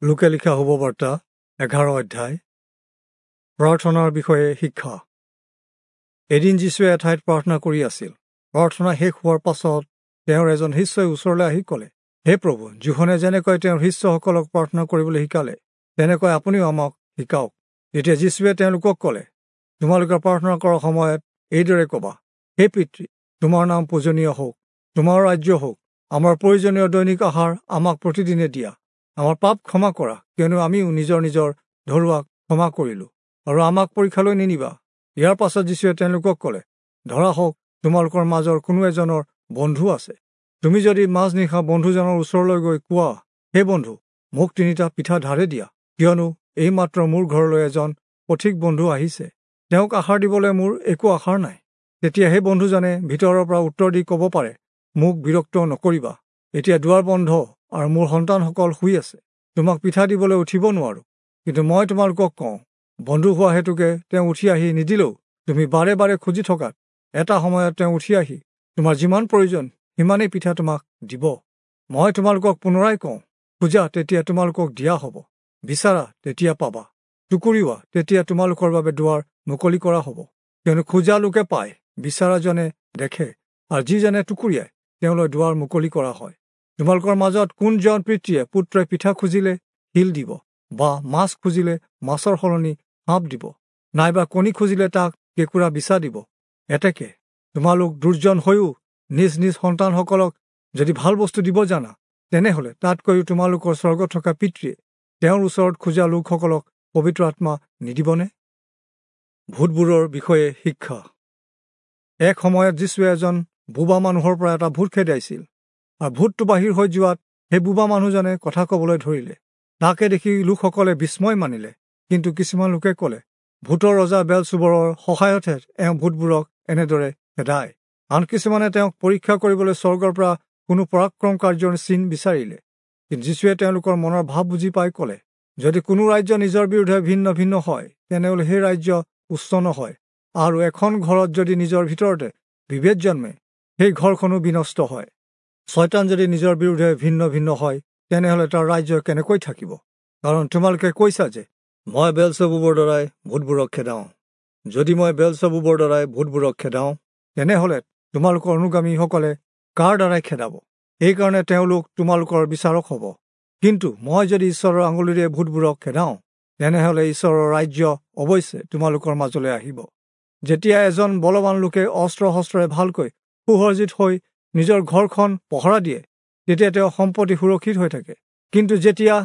লোকে লিখা শুভবাৰ্তা 11 অধ্যায়। প্ৰাৰ্থনাৰ বিষয়ে শিক্ষা। এদিন যীশুৱে এঠাইত প্ৰাৰ্থনা কৰি আছিল। প্ৰাৰ্থনা শেষ হোৱাৰ পাছত তেওঁৰ এজন শিষ্যই ওচৰলৈ আহি ক'লে, হে প্ৰভু, যোহনে যেনেকৈ তেওঁৰ শিষ্যসকলক প্ৰাৰ্থনা কৰিবলৈ শিকালে, তেনেকৈ আপুনিও আমাক শিকাওক। তেতিয়া যীশুৱে তেওঁলোকক ক'লে, তোমালোকে প্ৰাৰ্থনা কৰাৰ সময়ত এইদৰে ক'বা, হে পিতৃ, তোমাৰ নাম পূজনীয় হওক, তোমাৰ ৰাজ্য হওক, আমাৰ প্ৰয়োজনীয় দৈনিক আহাৰ আমাক প্ৰতিদিনে দিয়া, আমাৰ পাপ ক্ষমা কৰা, কিয়নো আমিও নিজৰ নিজৰ ধৰুৱাক ক্ষমা কৰিলোঁ, আৰু আমাক পৰীক্ষালৈ নিনিবা। ইয়াৰ পাছত যীশুৱে তেওঁলোকক ক'লে, ধৰা হওক তোমালোকৰ মাজৰ কোনো এজনৰ বন্ধু আছে। তুমি যদি মাজনিশা বন্ধুজনৰ ওচৰলৈ গৈ কোৱা, হে বন্ধু, মোক 3টা পিঠা ধাৰে দিয়া, কিয়নো এইমাত্ৰ মোৰ ঘৰলৈ এজন পথিক বন্ধু আহিছে, তেওঁক আহাৰ দিবলৈ মোৰ একো আহাৰ নাই। তেতিয়া সেই বন্ধুজনে ভিতৰৰ পৰা উত্তৰ দি ক'ব পাৰে, মোক বিৰক্ত নকৰিবা, এতিয়া দুৱাৰ বন্ধ আৰু মোৰ সন্তানসকল শুই আছে, তোমাক পিঠা দিবলৈ উঠিব নোৱাৰোঁ। কিন্তু মই তোমালোকক কওঁ, বন্ধু হোৱা হেতুকে তেওঁ উঠি আহি নিদিলেও তুমি বাৰে বাৰে খুজি থকাত এটা সময়ত তেওঁ উঠি আহি তোমাৰ যিমান প্ৰয়োজন সিমানেই পিঠা তোমাক দিব। মই তোমালোকক পুনৰাই কওঁ, খোজা তেতিয়া তোমালোকক দিয়া হ'ব, বিচাৰা তেতিয়া পাবা, টুকুৰিওৱা তেতিয়া তোমালোকৰ বাবে দুৱাৰ মুকলি কৰা হ'ব। কিয়নো খোজা লোকে পায়, বিচাৰাজনে দেখে, আৰু যিজনে টুকুৰিয়ায় তেওঁলৈ দুৱাৰ মুকলি কৰা হয়। তোমালোকৰ মাজত কোনজন পিতৃয়ে পুত্ৰই পিঠা খুজিলে শিল দিব, বা মাছ খুজিলে মাছৰ সলনি সাপ দিব, নাইবা কণী খুজিলে তাক কেঁকুৰা বিচা দিব? এতেকে তোমালোক দুৰ্জন হৈও নিজ নিজ সন্তানসকলক যদি ভাল বস্তু দিব জানা, তেনেহ'লে তাতকৈও তোমালোকৰ স্বৰ্গত থকা পিতৃয়ে তেওঁৰ ওচৰত খোজা লোকসকলক পবিত্ৰ আত্মা নিদিবনে? ভূতবোৰৰ বিষয়ে শিক্ষা। এক সময়ত যীশুৱে এজন বোবা মানুহৰ পৰা এটা ভূত খেদাইছিল, আৰু ভূতটো বাহিৰ হৈ যোৱাত সেই বোবা মানুহজনে কথা ক'বলৈ ধৰিলে। তাকে দেখি লোকসকলে বিস্ময় মানিলে। কিন্তু কিছুমান লোকে ক'লে, ভূতৰ ৰজা বেলচুবৰৰ সহায়তহে এওঁ ভূতবোৰক এনেদৰে খেদায়। আন কিছুমানে তেওঁক পৰীক্ষা কৰিবলৈ স্বৰ্গৰ পৰা কোনো পৰাক্ৰম কাৰ্যৰ চিন বিচাৰিলে। কিন্তু যীশুৱে তেওঁলোকৰ মনৰ ভাৱ বুজি পাই ক'লে, যদি কোনো ৰাজ্য নিজৰ বিৰুদ্ধে ভিন্ন ভিন্ন হয়, তেনেহ'লে সেই ৰাজ্য উচ্চ নহয়, আৰু এখন ঘৰত যদি নিজৰ ভিতৰতে বিভেদ জন্মে, সেই ঘৰখনো বিনষ্ট হয়। ছয়তান যদি নিজৰ বিৰুদ্ধে ভিন্ন ভিন্ন হয়, তেনেহ'লে তাৰ ৰাজ্য কেনেকৈ থাকিব? কাৰণ তোমালোকে কৈছা যে মই বেলচেবুবৰ দ্বাৰাই ভূতবোৰক খেদাওঁ। যদি মই বেলচেবুবৰ দ্বাৰাই ভূতবোৰক খেদাওঁ, তেনেহ'লে তোমালোকৰ অনুগামীসকলে কাৰ দ্বাৰাই খেদাব? এইকাৰণে তেওঁলোক তোমালোকৰ বিচাৰক হ'ব। কিন্তু মই যদি ঈশ্বৰৰ আঙুলিৰে ভূতবোৰক খেদাওঁ, তেনেহ'লে ঈশ্বৰৰ ৰাজ্য অৱশ্যে তোমালোকৰ মাজলৈ আহিব। যেতিয়া এজন বলৱান লোকে অস্ত্ৰ শস্ত্ৰৰে ভালকৈ সুসজ্জিত হৈ নিজৰ ঘৰখন পহৰা দিয়ে, তেতিয়া তেওঁ সম্পত্তি সুৰক্ষিত হৈ থাকে। কিন্তু যেতিয়া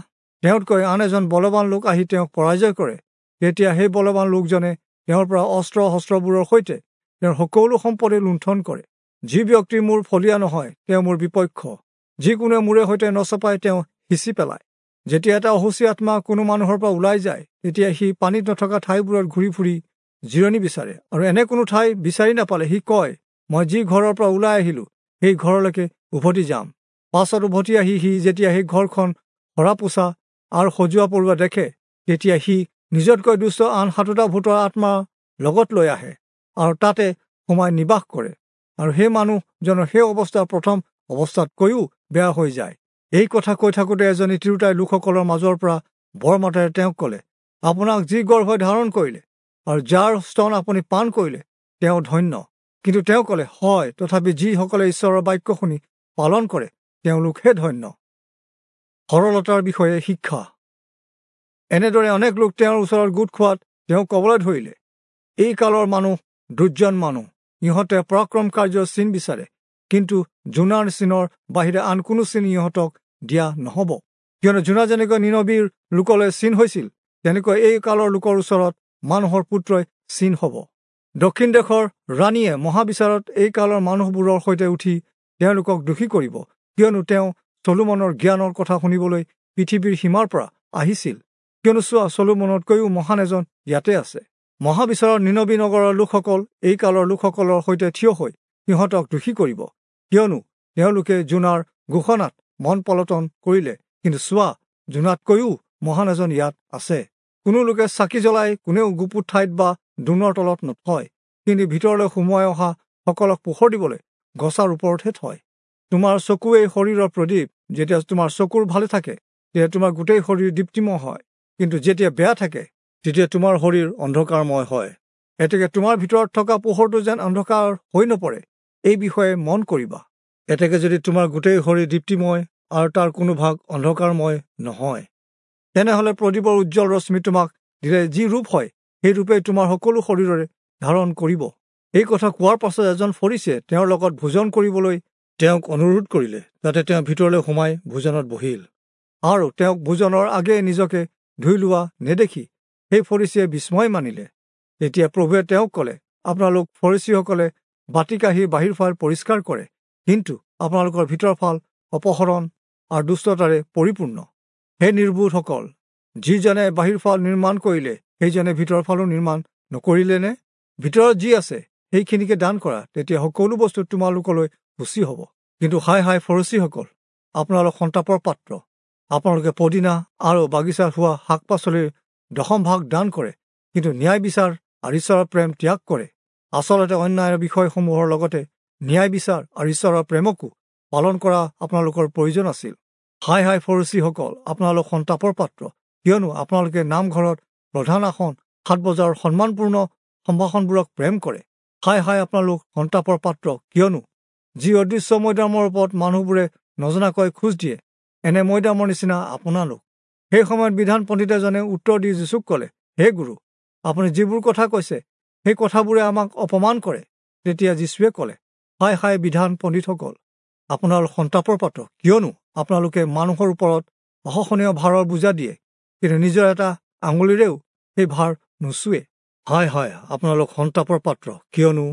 তেওঁতকৈ আন এজন বলৱান লোক আহি তেওঁক পৰাজয় কৰে, তেতিয়া সেই বলৱান লোকজনে তেওঁৰ পৰা অস্ত্ৰ শস্ত্ৰবোৰৰ সৈতে তেওঁৰ সকলো সম্পত্তি লুণ্ঠন কৰে। যি ব্যক্তি মোৰ ফলীয়া নহয়, তেওঁ মোৰ বিপক্ষ। যিকোনোৱে মোৰে সৈতে নচপাই তেওঁ সিঁচি পেলায়। যেতিয়া এটা অশুচি আত্মা কোনো মানুহৰ পৰা ওলাই যায়, তেতিয়া সি পানীত নথকা ঠাইবোৰত ঘূৰি ফুৰি জিৰণি বিচাৰে, আৰু এনে কোনো ঠাই বিচাৰি নাপালে সি কয়, মই যি ঘৰৰ পৰা ওলাই আহিলোঁ সেই ঘৰলৈকে উভতি যাম। পাছত উভতি আহি সি যেতিয়া সেই ঘৰখন সৰা পোছা আৰু সজোৱা পৰুৱা দেখে, তেতিয়া সি নিজতকৈ দুষ্ট আন 7টা ভূতৰ আত্মা লগত লৈ আহে আৰু তাতে সোমাই নিবাস কৰে, আৰু সেই মানুহজনৰ সেই অৱস্থা প্ৰথম অৱস্থাতকৈও বেয়া হৈ যায়। এই কথা কৈ থাকোঁতে এজনী তিৰোতাই লোকসকলৰ মাজৰ পৰা বৰ মাতেৰে তেওঁক ক'লে, আপোনাক যি গৰ্ভই ধাৰণ কৰিলে আৰু যাৰ স্তন আপুনি পান কৰিলে তেওঁ ধন্য। কিন্তু তেওঁ ক'লে, হয়, তথাপি যিসকলে ঈশ্বৰৰ বাক্য শুনি পালন কৰে তেওঁলোকহে ধন্য। সৰলতাৰ বিষয়ে শিক্ষা। এনেদৰে অনেক লোক তেওঁৰ ওচৰত গোট খোৱাত তেওঁ ক'বলৈ ধৰিলে, এই কালৰ মানুহ দুৰ্জন মানুহ, ইহঁতে পৰাক্ৰম কাৰ্যৰ চিন বিচাৰে, কিন্তু জোনাৰ চিনৰ বাহিৰে আন কোনো চিন ইহঁতক দিয়া নহ'ব। কিয়নো জোনা যেনেকৈ নিনবীৰ লোকলৈ চিন হৈছিল, তেনেকৈ এই কালৰ লোকৰ ওচৰত মানুহৰ পুত্ৰই চিন হ'ব। দক্ষিণ দেশৰ ৰাণীয়ে মহাবিচাৰত এই কালৰ মানুহবোৰৰ সৈতে উঠি তেওঁলোকক দোষী কৰিব, কিয়নো তেওঁ চলোমনৰ জ্ঞানৰ কথা শুনিবলৈ পৃথিৱীৰ সীমাৰ পৰা আহিছিল। কিয়নো চোৱা, চলোমনতকৈও মহান এজন ইয়াতে আছে। মহাবিচাৰত নিনবী নগৰৰ লোকসকল এই কালৰ লোকসকলৰ সৈতে থিয় হৈ সিহঁতক দোষী কৰিব, কিয়নো তেওঁলোকে জোনাৰ ঘোষণাত মন পলটন কৰিলে। কিন্তু চোৱা, জোনাতকৈও মহান এজন ইয়াত আছে। কোনো লোকে চাকি জ্বলাই কোনেও গুপুত ঠাইত বা দোনৰ তলত নথয়, কিন্তু ভিতৰলৈ সোমোৱাই অহা সকলক পোহৰ দিবলৈ গছাৰ ওপৰতহে থয়। তোমাৰ চকুৱেই শৰীৰৰ প্ৰদীপ। যেতিয়া তোমাৰ চকুৰ ভালে থাকে, তেতিয়া তোমাৰ গোটেই শৰীৰ দীপ্তিময় হয়, কিন্তু যেতিয়া বেয়া থাকে তেতিয়া তোমাৰ শৰীৰ অন্ধকাৰময় হয়। এতেকে তোমাৰ ভিতৰত থকা পোহৰটো যেন অন্ধকাৰ হৈ নপৰে, এই বিষয়ে মন কৰিবা। এতেকে যদি তোমাৰ গোটেই শৰীৰ দীপ্তিময় আৰু তাৰ কোনো ভাগ অন্ধকাৰময় নহয়, তেনেহ'লে প্ৰদীপৰ উজ্জ্বল ৰশ্মি তোমাক দিলে যি ৰূপ হয়, সেই ৰূপেই তোমাৰ সকলো শৰীৰৰে ধাৰণ কৰিব। এই কথা কোৱাৰ পাছত এজন ফৰীচীয়ে তেওঁৰ লগত ভোজন কৰিবলৈ তেওঁক অনুৰোধ কৰিলে। তাতে তেওঁ ভিতৰলৈ সোমাই ভোজনত বহিল। আৰু তেওঁক ভোজনৰ আগেয়ে নিজকে ধুই লোৱা নেদেখি সেই ফৰীচীয়ে বিস্ময় মানিলে। তেতিয়া প্ৰভুৱে তেওঁক ক'লে, আপোনালোক ফৰীচীসকলে বাতি কাঁহী বাহিৰ ফাল পৰিষ্কাৰ কৰে, কিন্তু আপোনালোকৰ ভিতৰ ফাল অপহৰণ আৰু দুষ্টতাৰে পৰিপূৰ্ণ। হে নিৰ্বোধসকল, যিজনে বাহিৰ ফাল নিৰ্মাণ কৰিলে সেইজনে ভিতৰ ফালো নিৰ্মাণ নকৰিলেনে? ভিতৰত যি আছে সেইখিনিকে দান কৰা, তেতিয়া সকলো বস্তু তোমালোকলৈ সূচী হ'ব। কিন্তু হায় হায় ফৰীচীসকল, আপোনালোক সন্তাপৰ পাত্ৰ। আপোনালোকে পদিনা আৰু বাগিচাত হোৱা শাক পাচলিৰ দশম ভাগ দান কৰে, কিন্তু ন্যায় বিচাৰ আৰু ঈশ্বৰৰ প্ৰেম ত্যাগ কৰে। আচলতে অন্যায়ৰ বিষয়সমূহৰ লগতে ন্যায় বিচাৰ আৰু ঈশ্বৰৰ প্ৰেমকো পালন কৰা আপোনালোকৰ প্ৰয়োজন আছিল। হায় হায় ফৰীচীসকল, আপোনালোক সন্তাপৰ পাত্ৰ, কিয়নো আপোনালোকে নামঘৰত প্ৰধান আসন, সাত বজাৰৰ সন্মানপূৰ্ণ সম্ভাষণবোৰক প্ৰেম কৰে। হায় হায় আপোনালোক সন্তাপৰ পাত্ৰ, কিয়নো যি অদৃশ্য মৈদামৰ ওপৰত মানুহবোৰে নজনাকৈ খোজ দিয়ে, এনে মৈদামৰ নিচিনা আপোনালোক। সেই সময়ত বিধান পণ্ডিত এজনে উত্তৰ দি যীচুক ক'লে, হে গুৰু, আপুনি যিবোৰ কথা কৈছে সেই কথাবোৰে আমাক অপমান কৰে। তেতিয়া যীচুৱে ক'লে, হায় হায় বিধান পণ্ডিতসকল, আপোনালোক সন্তাপৰ পাত্ৰ, কিয়নো আপোনালোকে মানুহৰ ওপৰত অসহনীয় ভাৰৰ বোজা দিয়ে, কিন্তু নিজৰ এটা আঙুলিৰেও সেই ভাৰ নুচুৱে। হায় হায় আপোনালোক সন্তাপৰ পাত্ৰ, কিয়নো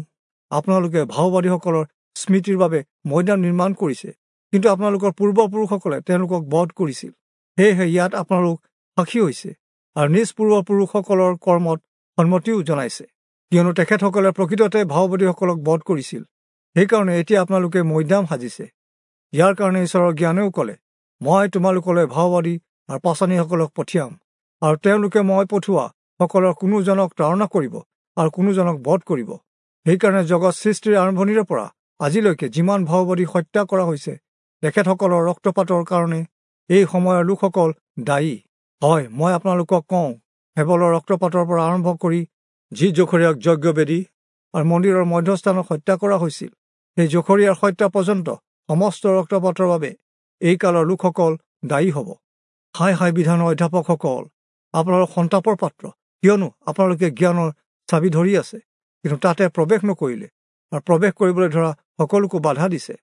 আপোনালোকে ভাওবাদীসকলৰ স্মৃতিৰ বাবে মৈদাম নিৰ্মাণ কৰিছে, কিন্তু আপোনালোকৰ পূৰ্বপুৰুষসকলে তেওঁলোকক বধ কৰিছিল। সেয়েহে ইয়াত আপোনালোক সাক্ষী হৈছে আৰু নিজ পূৰ্বপুৰুষসকলৰ কৰ্মত সন্মতিও জনাইছে, কিয়নো তেখেতসকলে প্ৰকৃততে ভাওবাদীসকলক বধ কৰিছিল। সেইকাৰণে এতিয়া আপোনালোকে মৈদাম সাজিছে। ইয়াৰ কাৰণে ঈশ্বৰৰ জ্ঞানেও ক'লে, মই তোমালোকলৈ ভাওবাদী আৰু পাচনিসকলক পঠিয়াম, আৰু তেওঁলোকে মই পঠোৱা সকলৰ কোনোজনক তাড়না কৰিব আৰু কোনোজনক বধ কৰিব। সেইকাৰণে জগত সৃষ্টিৰ আৰম্ভণিৰে পৰা আজিলৈকে যিমান ভাওবাদী হত্যা কৰা হৈছে, তেখেতসকলৰ ৰক্তপাতৰ কাৰণে এই সময়ৰ লোকসকল দায়ী। হয়, মই আপোনালোকক কওঁ, হেবলৰ ৰক্তপাতৰ পৰা আৰম্ভ কৰি যি জখৰীয়াক যজ্ঞবেদী আৰু মন্দিৰৰ মধ্যস্থানত হত্যা কৰা হৈছিল, সেই জখৰীয়াৰ হত্যা পৰ্যন্ত সমস্ত ৰক্তপাতৰ বাবে এই কালৰ লোকসকল দায়ী হ'ব। হায় হায় বিধানৰ অধ্যাপকসকল, আপোনালোক সন্তাপৰ পাত্ৰ, কিয়নো আপোনালোকে জ্ঞানৰ চাবি ধৰি আছে, কিন্তু তাতে প্ৰৱেশ নকৰিলে আৰু প্ৰৱেশ কৰিবলৈ ধৰা সকলোকো বাধা দিছে।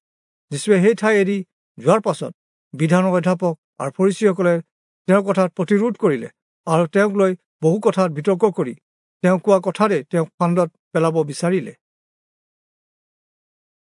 যীচুৱে সেই ঠাই এৰি যোৱাৰ পাছত বিধানৰ অধ্যাপক আৰু ফৰীচীসকলে তেওঁৰ কথাত প্ৰতিৰোধ কৰিলে আৰু তেওঁক লৈ বহু কথাত বিতৰ্ক কৰি তেওঁ কোৱা কথাৰে তেওঁক ফান্দত পেলাব বিচাৰিলে।